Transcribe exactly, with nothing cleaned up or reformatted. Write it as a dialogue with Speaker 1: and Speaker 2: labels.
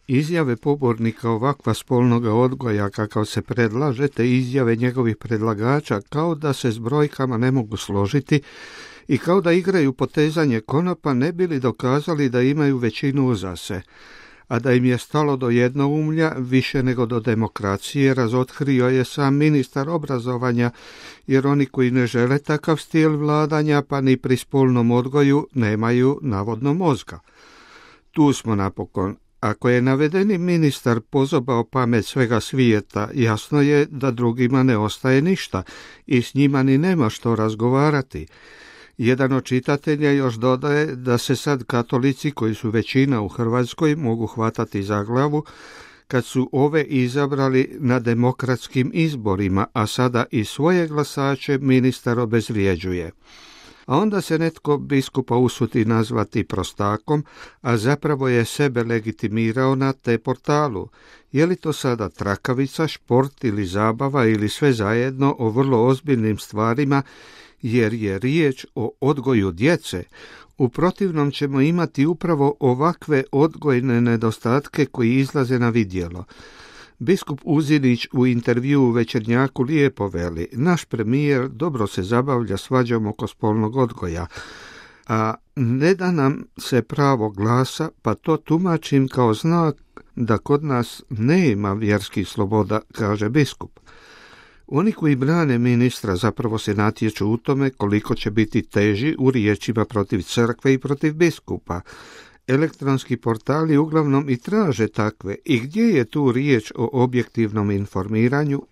Speaker 1: Izjave pobornika ovakva spolnoga odgoja kakav se predlaže, te izjave njegovih predlagača kao da se s brojkama ne mogu složiti i kao da igraju potezanje konopa, ne bili dokazali da imaju većinu uza se. A da im je stalo do jednoumlja više nego do demokracije, razotkrio je sam ministar obrazovanja, jer oni koji ne žele takav stil vladanja pa ni pri spolnom odgoju nemaju navodno mozga. Tu smo napokon. Ako je navedeni ministar pozobao pamet svega svijeta, jasno je da drugima ne ostaje ništa i s njima ni nema što razgovarati. Jedan od čitatelja još dodaje da se sad katolici, koji su većina u Hrvatskoj, mogu hvatati za glavu kad su ove izabrali na demokratskim izborima, a sada i svoje glasače ministar obezvrijeđuje. A onda se netko biskupa usuti nazvati prostakom, a zapravo je sebe legitimirao na te portalu. Je li to sada trakavica, šport ili zabava ili sve zajedno o vrlo ozbiljnim stvarima, jer je riječ o odgoju djece? U protivnom ćemo imati upravo ovakve odgojne nedostatke koji izlaze na vidjelo. Biskup Uzinić u intervjuu u Večernjaku lijepo veli: naš premijer dobro se zabavlja svađom oko spolnog odgoja, a ne da nam se pravo glasa, pa to tumačim kao znak da kod nas nema vjerskih sloboda, kaže biskup. Oni koji brane ministra zapravo se natječu u tome koliko će biti teži u riječima protiv crkve i protiv biskupa. Elektronski portali uglavnom i traže takve, i gdje je tu riječ o objektivnom informiranju